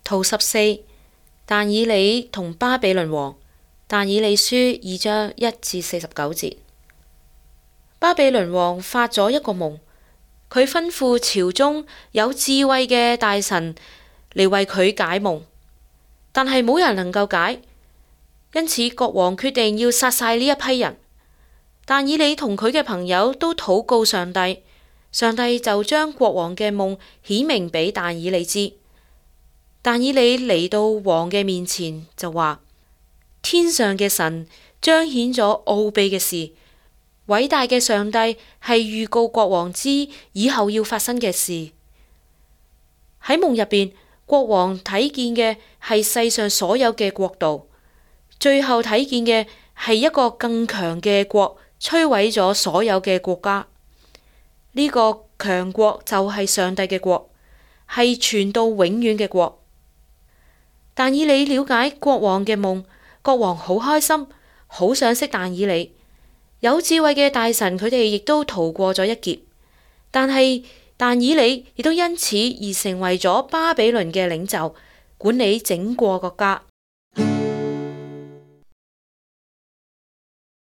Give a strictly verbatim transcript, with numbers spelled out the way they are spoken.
圖十四，但以理同巴比倫王。但以理書二章一至四十九節。巴比倫王發咗一個夢，佢吩咐朝中有智慧嘅大臣嚟為佢解夢，但係冇人能夠解，因此國王決定要殺晒呢一批人。但以理同佢嘅朋友都禱告上帝，上帝就將國王嘅夢顯明俾但以理知。但以理嚟到王嘅面前就話：天上嘅神彰顯咗奧秘嘅事，偉大嘅上帝係預告國王知以後要發生嘅事。喺夢入邊，國王睇見嘅係世上所有嘅國度，最後睇見嘅係一個更強嘅國，摧毀咗所有嘅國家。呢個強國就係上帝嘅國，係傳到永遠嘅國。但以理了解國王嘅夢，國王好開心，好想識但以理。有智慧嘅大臣佢哋亦都逃過咗一劫，但係但以理亦都因此而成為咗巴比倫嘅領袖，管理整個國家。